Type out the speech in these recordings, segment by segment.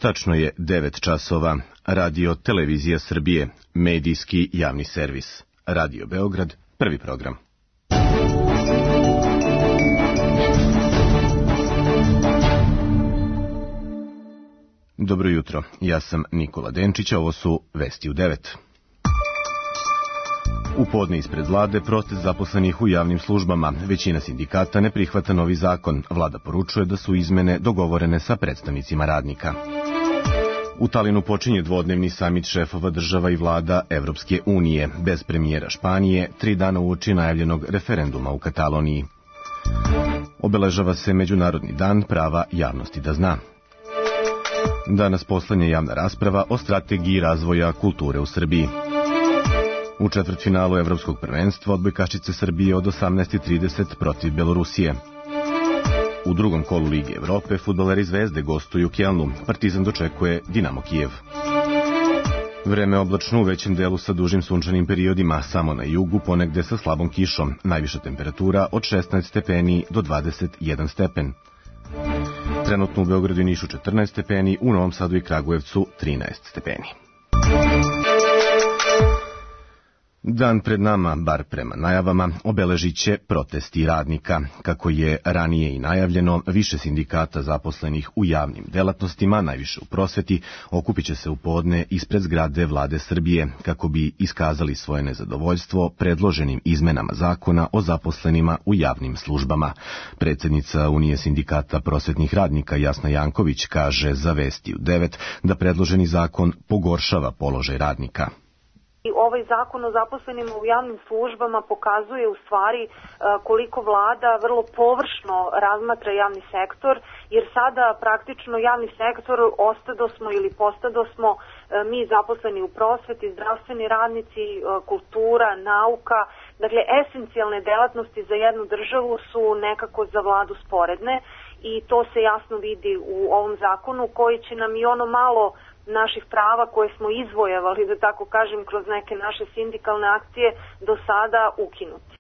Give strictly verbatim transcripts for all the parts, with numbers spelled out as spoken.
Tačno je devet časova. Radio Televizija Srbije, medijski javni servis. Radio Beograd, prvi program. Dobro jutro, ja sam Nikola Denčić, a ovo su Vesti u devet. U podne ispred vlade protest zaposlenih u javnim službama. Većina sindikata ne prihvata novi zakon. Vlada poručuje da su izmene dogovorene sa predstavnicima radnika. U Talinu počinje dvodnevni samit šefova država i vlada Evropske unije, bez premijera Španije, tri dana uoči najavljenog referenduma u Kataloniji. Obeležava se Međunarodni dan prava javnosti da zna. Danas poslednja javna rasprava o strategiji razvoja kulture u Srbiji. U četvrtfinalu Evropskog prvenstva odbojkašice Srbije od osamnaest trideset protiv Belorusije. U drugom kolu Lige Evrope fudbaleri Zvezde gostuju u Kelnu. Partizan dočekuje Dinamo Kijev. Vreme oblačno u većem delu sa dužim sunčanim periodima, samo na jugu ponegde sa slabom kišom. Najviša temperatura od šesnaest stepeni do dvadeset jedan stepen. Trenutno u Beogradu i Nišu četrnaest stepeni, u Novom Sadu i Kragujevcu trinaest stepeni. Dan pred nama, bar prema najavama, obeležit će protesti radnika. Kako je ranije i najavljeno, više sindikata zaposlenih u javnim delatnostima, najviše u prosveti, okupit će se u podne ispred zgrade Vlade Srbije, kako bi iskazali svoje nezadovoljstvo predloženim izmenama zakona o zaposlenima u javnim službama. Predsjednica Unije sindikata prosvetnih radnika Jasna Janković kaže za Vesti u devet da predloženi zakon pogoršava položaj radnika. Ovaj zakon o zaposlenima u javnim službama pokazuje u stvari koliko vlada vrlo površno razmatra javni sektor, jer sada praktično javni sektor ostadosmo ili postadosmo mi zaposleni u prosveti, zdravstveni radnici, kultura, nauka. Dakle, esencijalne delatnosti za jednu državu su nekako za vladu sporedne i to se jasno vidi u ovom zakonu koji će nam i ono malo naših prava koje smo izvojevali, da tako kažem, kroz neke naše sindikalne akcije do sada ukinuti.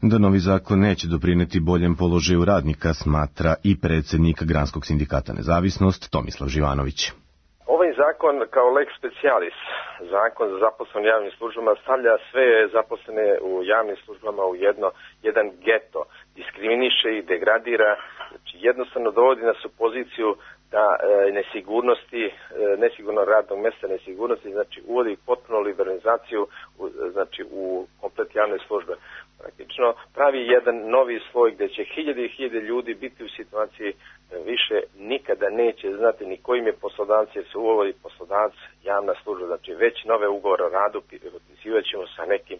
Da novi zakon neće doprineti boljem položaju radnika, smatra i predsjednik Granskog sindikata Nezavisnost Tomislav Živanović. Ovaj zakon kao lex specialis, zakon za zaposlene u javnim službama, stavlja sve zaposlene u javnim službama u jedno, jedan geto, diskriminiše i degradira, znači jednostavno dovodi nas u poziciju da e, nesigurnosti, e, nesigurno radnog mjesta, nesigurnosti, znači uvodi potpuno liberalizaciju u, znači u komplet javne službe. Praktično pravi jedan novi sloj gdje će hiljade i hiljade ljudi biti u situaciji da više nikada neće znati ni kojim je poslodavac, jer se uvodi poslodavac javna služba, znači već nove ugovore o radu potpisivat ćemo sa nekim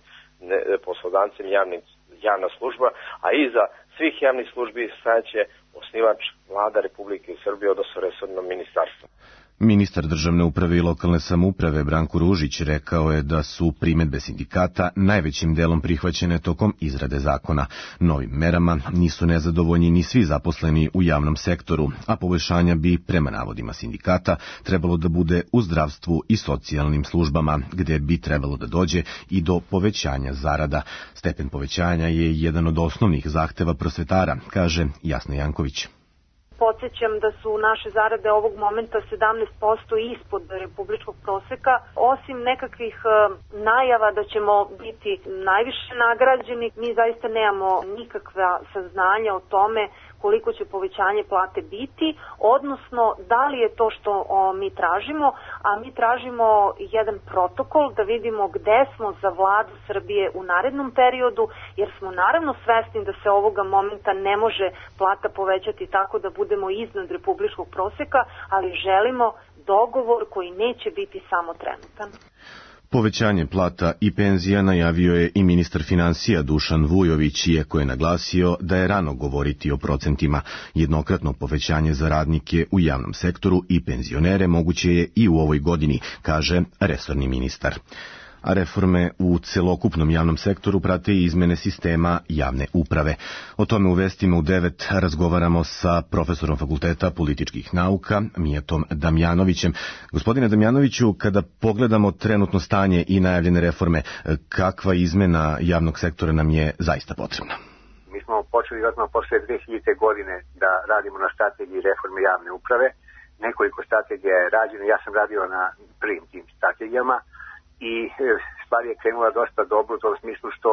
ne, poslodavcem javnim, javna služba, a iza svih javnih službi stajaće osnivač Vlada Republike Srbije, odnosno resorno ministarstvo. Ministar državne uprave i lokalne samouprave Branko Ružić rekao je da su primjedbe sindikata najvećim delom prihvaćene tokom izrade zakona. Novim merama nisu nezadovoljni ni svi zaposleni u javnom sektoru, a poboljšanja bi, prema navodima sindikata, trebalo da bude u zdravstvu i socijalnim službama, gde bi trebalo da dođe i do povećanja zarada. Stepen povećanja je jedan od osnovnih zahteva prosvetara, kaže Jasna Janković. Podsjećam da su naše zarade ovog momenta sedamnaest posto ispod republičkog proseka. Osim nekakvih najava da ćemo biti najviše nagrađeni, mi zaista nemamo nikakva saznanja o tome koliko će povećanje plate biti, odnosno da li je to što o, mi tražimo, a mi tražimo jedan protokol da vidimo gde smo za vladu Srbije u narednom periodu, jer smo naravno svesni da se ovoga momenta ne može plata povećati tako da budemo iznad republičkog proseka, ali želimo dogovor koji neće biti samo trenutan. Povećanje plata i penzija najavio je i ministar finansija Dušan Vujović, iako je naglasio da je rano govoriti o procentima. Jednokratno povećanje za radnike u javnom sektoru i penzionere moguće je i u ovoj godini, kaže resorni ministar. A reforme u celokupnom javnom sektoru prate i izmene sistema javne uprave. O tome u Vestima u devet razgovaramo sa profesorom Fakulteta političkih nauka Mijatom Damjanovićem. Gospodine Damjanoviću, kada pogledamo trenutno stanje i najavljene reforme, kakva izmena javnog sektora nam je zaista potrebna? Mi smo počeli odmah posle dve hiljadite. godine da radimo na strategiji reforme javne uprave. nekoliko strategija je rađeno, ja sam radio na prvim tim strategijama i stvar je krenula dosta dobro u tom smislu što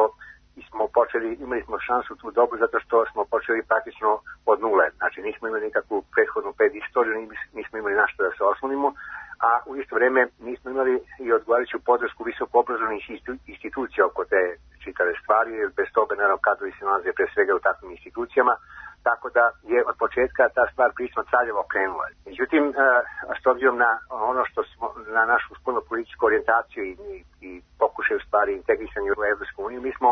smo počeli, imali smo šansu tu dobru zato što smo počeli praktično od nule. Znači nismo imali nikakvu prethodnu pred istoriju, nismo imali na što da se oslonimo, a u isto vreme nismo imali i odgovarajuću podršku visoko obrazovnih institucija oko te čitave stvari, jer bez toga naravno kadrovi se nalaze pre svega u takvim institucijama, tako da je od početka ta stvar prilično traljavo krenula. Međutim, s obzirom na ono što smo, na našu spoljnu političku orijentaciju i, i pokušaju stvari integrisanja u Evropsku uniju, mi smo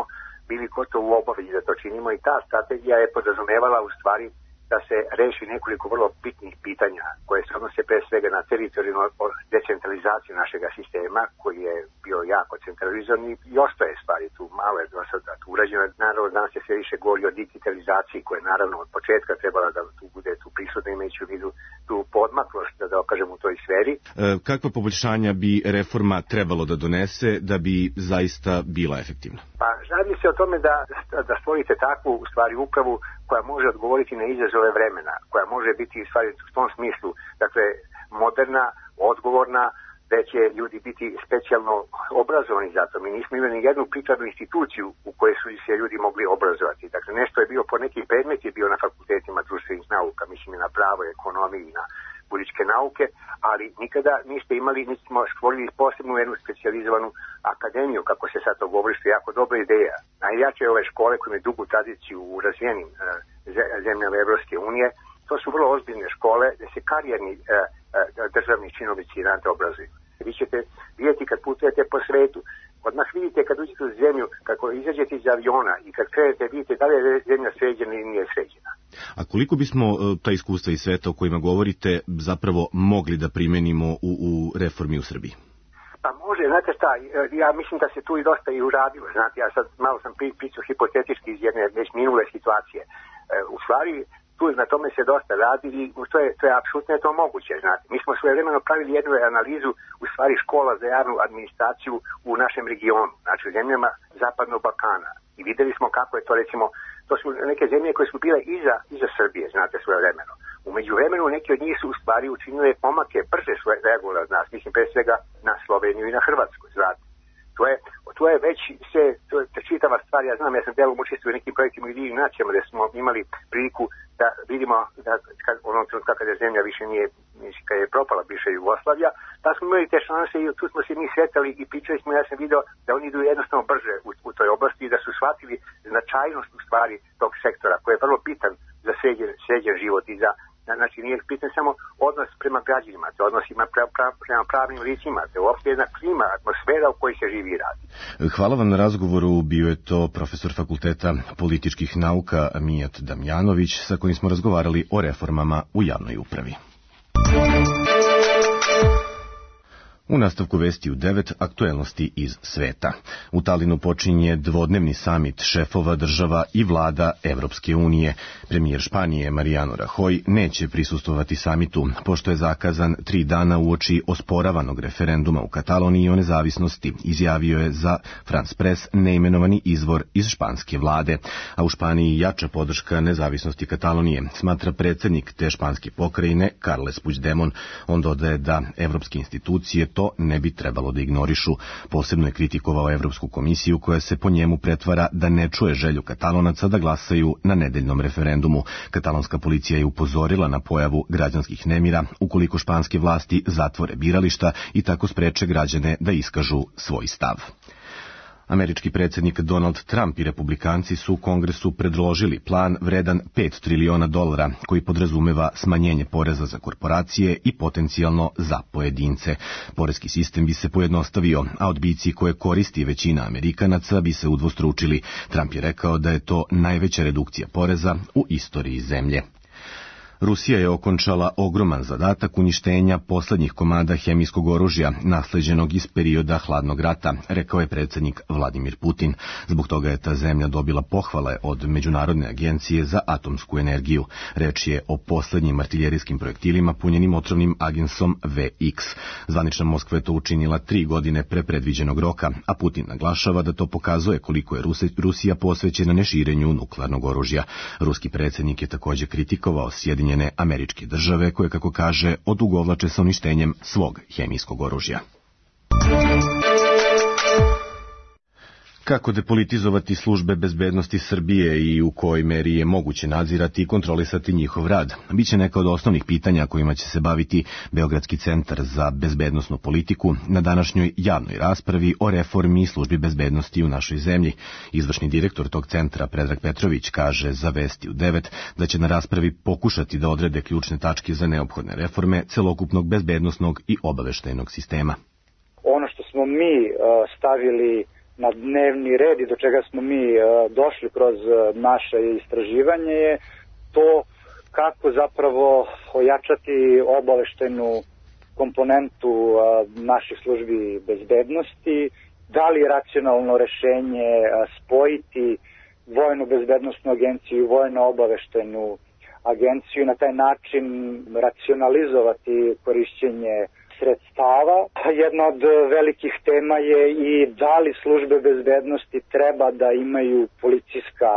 bili gotovo u obavezi da to činimo i ta strategija je podrazumevala u stvari da se reši nekoliko vrlo bitnih pitanja koje se odnose pre svega na teritorijalnu decentralizaciju našega sistema koji je bio jako centralizovan i ostaje stvari tu malo je do sada tu urađeno. Naravno danas se sve više govori o digitalizaciji koja je naravno od početka trebala da tu bude tu prisutna imajući u vidu tu podmaklost da dokažem u toj sferi. E, kakva poboljšanja bi reforma trebalo da donese da bi zaista bila efektivna? Pa radi se o tome da, da stvorite takvu u stvari upravu koja može odgovoriti na izazove vremena, koja može biti u stvari u tom smislu, dakle moderna, odgovorna, da će ljudi biti specijalno obrazovani za to. Mi nismo imali ni jednu prikladnu instituciju u kojoj su se ljudi mogli obrazovati. Dakle, nešto je bio po neki predmet je bio na fakultetima društvenih nauka, mislim i na pravo, ekonomiji i na političke nauke, ali nikada niste imali, niste smo stvorili posebnu jednu specijalizovanu akademiju, kako se sad to govori, što je jako dobra ideja. Najjače ove škole koje imaju dugu tradiciju u razvijenim e, zemljama Evropske unije, to su vrlo ozbiljne škole gde se karijerni e, e, državni činovnici i rante obrazuju. Vi ćete vidjeti kad putujete po svetu, odmah vidite kad uđete u zemlju, kako izađete iz aviona i kad krenete vidite da li je zemlja sređena ili nije sređena. A koliko bismo ta iskustva iz sveta o kojima govorite zapravo mogli da primenimo u, u reformi u Srbiji? Pa može, znate šta, ja mislim da se tu i dosta i uradilo, znate, ja sad malo sam pričao hipotetički iz jedne već minule situacije. U stvari, tu na tome se dosta radi i to je, to je apsolutno je to moguće, znate. Mi smo svojevremeno pravili jednu analizu u stvari škola za javnu administraciju u našem regionu, znači u zemljama Zapadnog Balkana. I videli smo kako je to, recimo, to su neke zemlje koje su bile iza, iza Srbije, znate, svojevremeno. U međuvremenu neki od njih su u stvari učinile pomake brže svoje reagole od nas, mislim pre svega na Sloveniju i na Hrvatsku, znate. To je, to je već se, to je čitava stvar, ja znam, ja sam delom učestvovao u nekim projektima i divim nacijama gde smo imali priliku da vidimo da kad, onom trenutka kada zemlja više nije, kad je propala bivša Jugoslavija, da smo imali te šanse i tu smo se mi sretali i pričali smo, ja sam video da oni idu jednostavno brže u, u toj oblasti i da su shvatili značajnost u stvari tog sektora koji je vrlo bitan za sređen, sređen život i za znači nije pitan samo odnos prema građanima, te odnosima pre, pre, prema pravnim licima, te uopšte jedna klima, atmosfera u kojoj se živi i radi. Hvala vam na razgovoru, bio je to profesor Fakulteta političkih nauka Mijat Damjanović, sa kojim smo razgovarali o reformama u javnoj upravi. U nastavku vesti u devet aktuelnosti iz sveta. U Talinu počinje dvodnevni samit šefova država i vlada Evropske unije. Premijer Španije Mariano Rajoy neće prisustvovati samitu, pošto je zakazan tri dana uoči osporavanog referenduma u Kataloniji o nezavisnosti, izjavio je za France Press neimenovani izvor iz španske vlade. A u Španiji jača podrška nezavisnosti Katalonije, smatra predsjednik te španske pokrajine Carles Puigdemont. On dodaje da evropske institucije to ne bi trebalo da ignorišu. Posebno je kritikovao Evropsku komisiju koja se po njemu pretvara da ne čuje želju Katalonaca da glasaju na nedeljnom referendumu. Katalonska policija je upozorila na pojavu građanskih nemira ukoliko španske vlasti zatvore birališta i tako spreče građane da iskažu svoj stav. Američki predsjednik Donald Trump i republikanci su u Kongresu predložili plan vredan pet triliona dolara koji podrazumeva smanjenje poreza za korporacije i potencijalno za pojedince. Poreski sistem bi se pojednostavio, a odbici koje koristi većina Amerikanaca bi se udvostručili. Trump je rekao da je to najveća redukcija poreza u istoriji zemlje. Rusija je okončala ogroman zadatak uništenja poslednjih komada hemijskog oružja nasleđenog iz perioda hladnog rata, rekao je predsjednik Vladimir Putin. Zbog toga je ta zemlja dobila pohvale od Međunarodne agencije za atomsku energiju. Reč je o poslednjim artiljerijskim projektilima punjenim otrovnim agensom V X. Zvanična Moskva je to učinila tri godine pre predviđenog roka, a Putin naglašava da to pokazuje koliko je Rusija posvećena neširenju nuklearnog oružja. Ruski predsjednik je također kritikovao Sjedinjene Sjedinjene Američke Države, koje, kako kaže, odugovlače sa uništenjem svog hemijskog oružja. Kako depolitizovati službe bezbednosti Srbije i u kojoj meri je moguće nadzirati i kontrolisati njihov rad? Biće neka od osnovnih pitanja kojima će se baviti Beogradski centar za bezbednosnu politiku na današnjoj javnoj raspravi o reformi službi bezbednosti u našoj zemlji. Izvršni direktor tog centra, Predrag Petrović, kaže za Vesti u devet da će na raspravi pokušati da odrede ključne tačke za neophodne reforme celokupnog bezbednosnog i obaveštajnog sistema. Ono što smo mi stavili na dnevni red i do čega smo mi uh, došli kroz uh, naše istraživanje je to kako zapravo ojačati obaveštajnu komponentu uh, naših službi bezbednosti, da li je racionalno rešenje uh, spojiti vojnu bezbednostnu agenciju i vojno obaveštajnu agenciju, na taj način racionalizovati korišćenje sredstava. Jedna od velikih tema je i da li službe bezbednosti treba da imaju policijska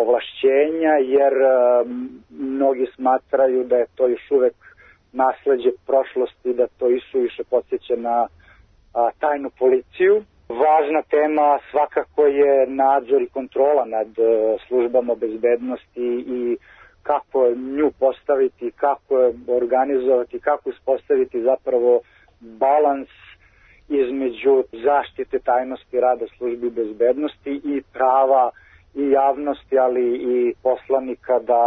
ovlašćenja, jer um, mnogi smatraju da je to još uvek nasleđe prošlosti, da to isu više podsjeća na a, tajnu policiju. Važna tema svakako je nadzor i kontrola nad uh, službama bezbednosti i kako nju postaviti, kako je organizovati, kako uspostaviti zapravo balans između zaštite tajnosti rada službi bezbednosti i prava i javnosti, ali i poslanika da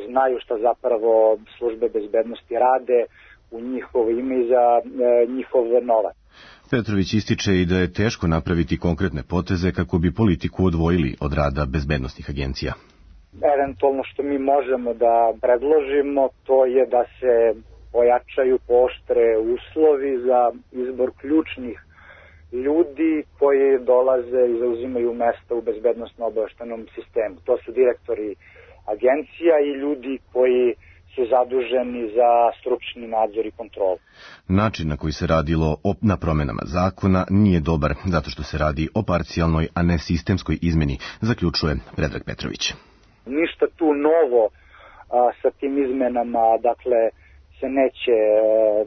znaju šta zapravo službe bezbednosti rade u njihovo ime i za e, njihov novac. Petrović ističe i da je teško napraviti konkretne poteze kako bi politiku odvojili od rada bezbednosnih agencija. Eventualno što mi možemo da predložimo, to je da se pojačaju, pooštre uslovi za izbor ključnih ljudi koji dolaze i zauzimaju mesta u bezbednosno-obaveštajnom sistemu. To su direktori agencija i ljudi koji su zaduženi za stručni nadzor i kontrolu. Način na koji se radilo na promenama zakona nije dobar, zato što se radi o parcijalnoj, a ne sistemskoj izmeni, zaključuje Predrag Petrović. Ništa tu novo a, sa tim izmenama, dakle, se neće a,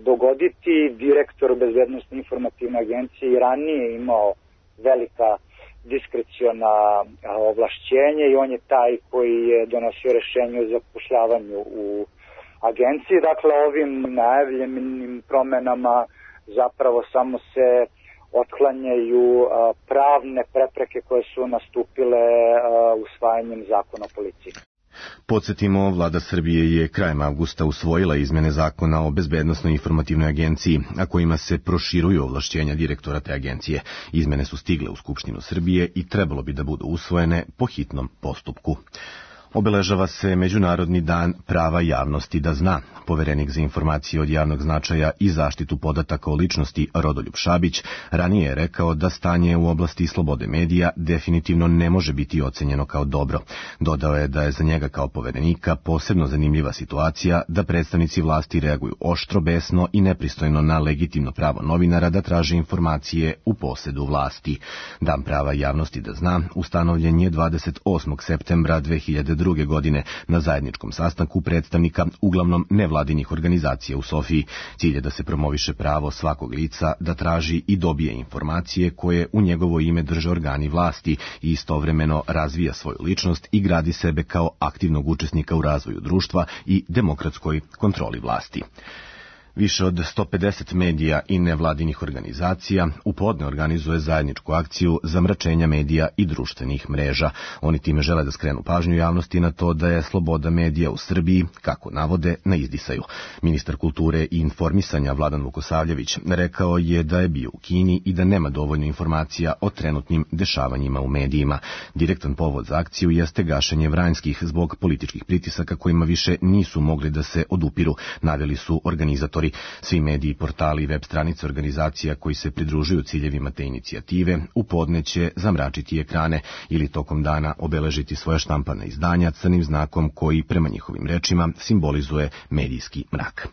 dogoditi. Direktor bezbednosne informativne agencije i ranije imao velika diskreciona a, ovlašćenja i on je taj koji je donosio rešenje o zapošljavanju u agenciji. Dakle, ovim najavljenim promenama zapravo samo se otklanjaju a, pravne prepreke koje su nastupile a, usvajanjem zakona o policiji. Podsjetimo, vlada Srbije je krajem avgusta usvojila izmene zakona o bezbednosnoj informativnoj agenciji, a kojima se proširuju ovlašćenja direktora te agencije. Izmene su stigle u Skupštinu Srbije i trebalo bi da budu usvojene po hitnom postupku. Obeležava se Međunarodni dan prava javnosti da zna. Poverenik za informacije od javnog značaja i zaštitu podataka o ličnosti Rodoljub Šabić ranije je rekao da stanje u oblasti slobode medija definitivno ne može biti ocenjeno kao dobro. Dodao je da je za njega kao poverenika posebno zanimljiva situacija da predstavnici vlasti reaguju oštro, besno i nepristojno na legitimno pravo novinara da traže informacije u posedu vlasti. Dan prava javnosti da zna ustanovljen je dvadeset osmog septembra dve hiljade druge godine na zajedničkom sastanku predstavnika uglavnom nevladinih organizacija u Sofiji. Cilj je da se promoviše pravo svakog lica da traži i dobije informacije koje u njegovo ime drže organi vlasti i istovremeno razvija svoju ličnost i gradi sebe kao aktivnog učesnika u razvoju društva i demokratskoj kontroli vlasti. Više od sto pedeset medija i nevladinih organizacija u podne organizuje zajedničku akciju zamračenja medija i društvenih mreža. Oni time žele da skrenu pažnju javnosti na to da je sloboda medija u Srbiji, kako navode, na izdisaju. Ministar kulture i informisanja Vladan Vukosavljević rekao je da je bio u Kini i da nema dovoljno informacija o trenutnim dešavanjima u medijima. Direktan povod za akciju jeste gašenje Vranjskih zbog političkih pritisaka kojima više nisu mogli da se odupiru, naveli su organizatori. Svi mediji, portali i web stranice organizacija koji se pridružuju ciljevima te inicijative u podne će zamračiti ekrane ili tokom dana obeležiti svoja štampana izdanja crnim znakom koji, prema njihovim rečima, simbolizuje medijski mrak.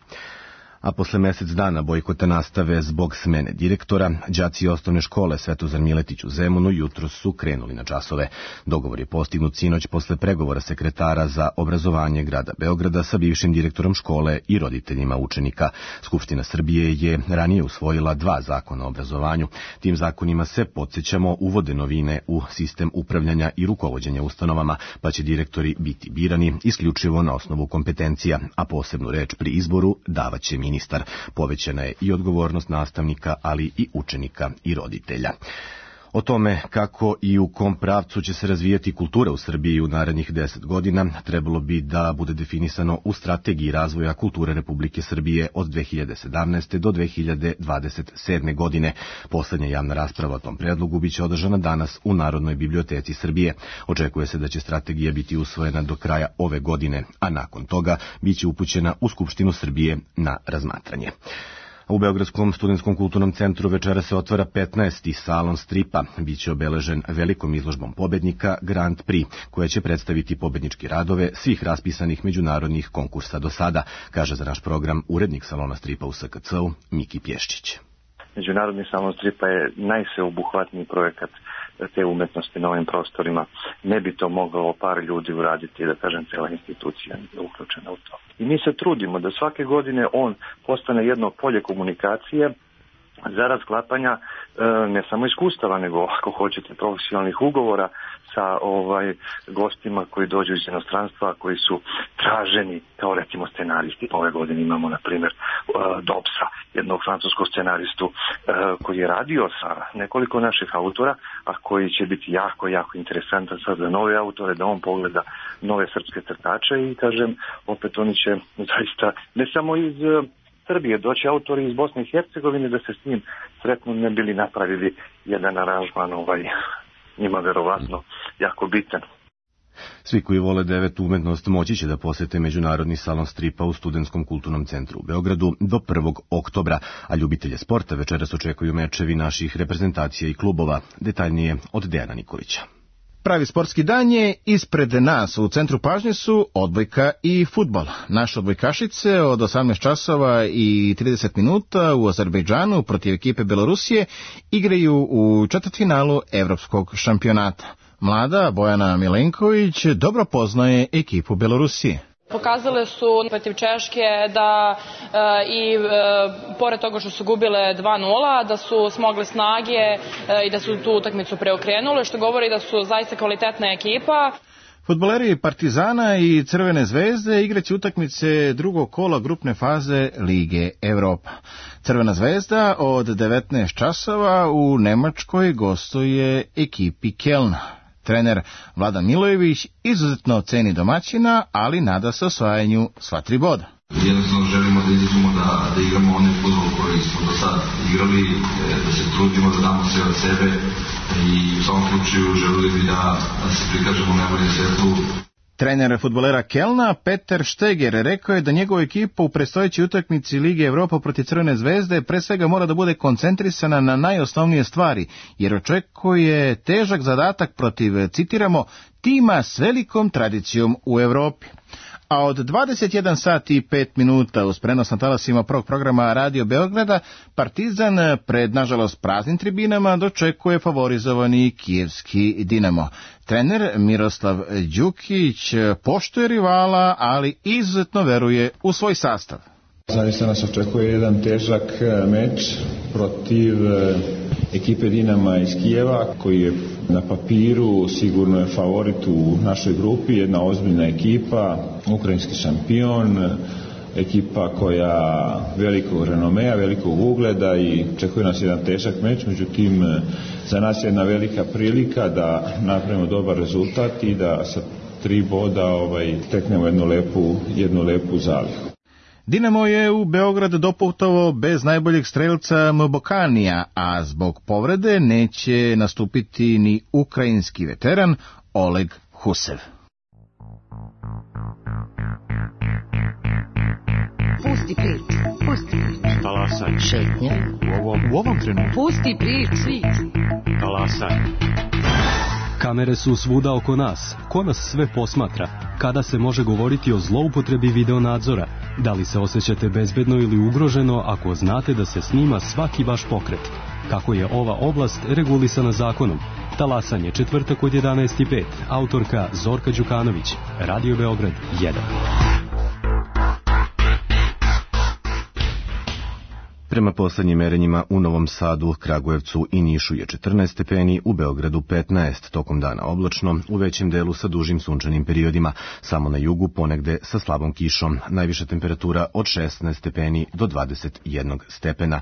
A posle mesec dana bojkota nastave zbog smene direktora, đaci osnovne škole Svetozar Miletić u Zemunu jutros su krenuli na časove. Dogovor je postignut sinoć posle pregovora sekretara za obrazovanje grada Beograda sa bivšim direktorom škole i roditeljima učenika. Skupština Srbije je ranije usvojila dva zakona o obrazovanju. Tim zakonima se, podsjećamo, uvode novine u sistem upravljanja i rukovođenja ustanovama, pa će direktori biti birani isključivo na osnovu kompetencija, a posebnu reč pri izboru davaće ministar. Povećana je i odgovornost nastavnika, ali i učenika i roditelja. O tome kako i u kom pravcu će se razvijati kultura u Srbiji u narednih deset godina trebalo bi da bude definisano u strategiji razvoja kulture Republike Srbije od dve hiljade sedamnaeste. do dve hiljade dvadeset sedme. godine. Poslednja javna rasprava o tom predlogu biće održana danas u Narodnoj biblioteci Srbije. Očekuje se da će strategija biti usvojena do kraja ove godine, a nakon toga biće upućena u Skupštinu Srbije na razmatranje. U Beogradskom studentskom kulturnom centru večera se otvara petnaesti salon stripa. Biće obeležen velikom izložbom pobednika Grand Prix, koja će predstaviti pobedničke radove svih raspisanih međunarodnih konkursa do sada, kaže za naš program urednik salona stripa u S K C-u Miki Pješčić. Međunarodni salon stripa je najsveobuhvatniji projekat te umetnosti na ovim prostorima. Ne bi to moglo par ljudi uraditi, da kažem, cela institucija je uključena u to. I mi se trudimo da svake godine on postane jedno polje komunikacije zarad sklapanja e, ne samo iskustava, nego ako hoćete profesionalnih ugovora sa ovaj gostima koji dođu iz inostranstva, koji su traženi kao recimo scenaristi. Ove godine imamo na primjer Dobsa, jednog francuskog scenaristu koji je radio sa nekoliko naših autora, a koji će biti jako, jako interesantan sad za nove autore, da on pogleda nove srpske crtače i kažem, opet oni će zaista ne samo iz Srbije doći autori iz Bosne i Hercegovine da se s njim sretno ne bili napravili jedan aranžman ovaj njima verovatno jako bitan. Svi koji vole devet umetnost moći će da posete Međunarodni salon stripa u Studentskom kulturnom centru u Beogradu do prvog oktobra, a ljubitelje sporta večeras očekuju mečevi naših reprezentacija i klubova. Detaljnije od Dejana Nikolića. Pravi sportski dan je ispred nas. U centru pažnje su odbojka i fudbal. Naše odbojkašice od osamnaest časova i trideset minuta u Azerbejdžanu protiv ekipe Belorusije igraju u četvrtfinalu evropskog šampionata. Mlada Bojana Milenković dobro poznaje ekipu Belorusije. Pokazale su protiv Češke da e, i e, pored toga što su gubile dva nula, da su smogle snage e, i da su tu utakmicu preokrenule, što govori da su zaista kvalitetna ekipa. Fudbaleri Partizana i Crvene zvezde igraće utakmice drugog kola grupne faze Lige Evropa. Crvena zvezda od devetnaest časova u Nemačkoj gostuje ekipi Kelna. Trener Vladan Milojević izuzetno ceni domaćina, ali nada se osvajanju sva tri boda. Jednostavno želimo da izađemo da, da igramo onaj fudbal koji smo do sad igrali, da se trudimo, da damo sve od sebe i u svakom slučaju želili bi da, da se prikažemo u najboljem svetlu. Trener fudbalera Kelna Peter Šteger rekao je da njegova ekipa u predstojećoj utakmici Lige Evropa protiv Crvene zvezde pre svega mora da bude koncentrisana na najosnovnije stvari, jer očekuje težak zadatak protiv, citiramo, tima s velikom tradicijom u Evropi. A od dvadeset jedan sati i pet minuta uz prenos na talasima prvog programa Radio Beograda, Partizan pred, nažalost, praznim tribinama dočekuje favorizovani kijevski Dinamo. Trener Miroslav Đukić poštuje rivala, ali izuzetno veruje u svoj sastav. Zaista nas očekuje jedan težak meč protiv ekipe Dinama iz Kijeva, koji je na papiru sigurno je favorit u našoj grupi, jedna ozbiljna ekipa, ukrajinski šampion, ekipa koja velikog renomea, velikog ugleda i očekuje nas jedan težak meč, međutim za nas je jedna velika prilika da napravimo dobar rezultat i da sa tri boda ovaj, teknemo jednu lepu, jednu lepu zalihu. Dinamo je u Beograd doputovao bez najboljeg strelca Mbokanija, a zbog povrede neće nastupiti ni ukrajinski veteran Oleg Husev. Pusti priču, pusti priču. Talasaj. Šetnja. U ovom, u ovom trenutku. Pusti priču. Talasaj. Kamere su svuda oko nas. Ko nas sve posmatra? Kada se može govoriti o zloupotrebi videonadzora? Da li se osjećate bezbedno ili ugroženo ako znate da se snima svaki vaš pokret? Kako je ova oblast regulisana zakonom? Talasanje, četvrtak od jedanaest i pet. Autorka Zorka Đukanović. Radio Beograd jedan. Prema poslednjim merenjima u Novom Sadu, Kragujevcu i Nišu je četrnaest stepeni, u Beogradu petnaest, tokom dana oblačno, u većem delu sa dužim sunčanim periodima, samo na jugu ponegde sa slabom kišom, najviša temperatura od šesnaest stepeni do dvadeset jedan stepena.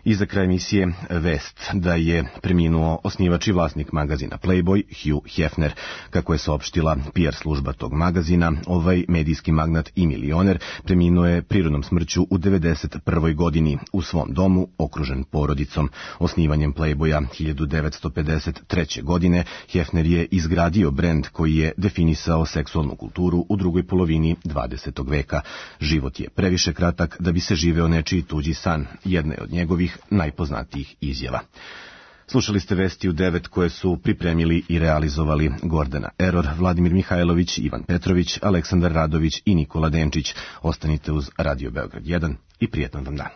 I za kraj emisije vest da je preminuo osnivač i vlasnik magazina Playboy, Hugh Hefner. Kako je saopštila P R služba tog magazina, ovaj medijski magnat i milioner preminuo je prirodnom smrću u devedeset prvoj godini u svom domu, okružen porodicom. Osnivanjem Playboya hiljadu devetsto pedeset treće. godine Hefner je izgradio brend koji je definisao seksualnu kulturu u drugoj polovini dvadesetog veka. Život je previše kratak da bi se živeo nečiji tuđi san, jedna je od njegovih najpoznatijih izjava. Slušali ste vesti u devet koje su pripremili i realizovali Gordana Eror, Vladimir Mihajlović, Ivan Petrović, Aleksandar Radović i Nikola Denčić. Ostanite uz Radio Beograd jedan i prijetan vam dan.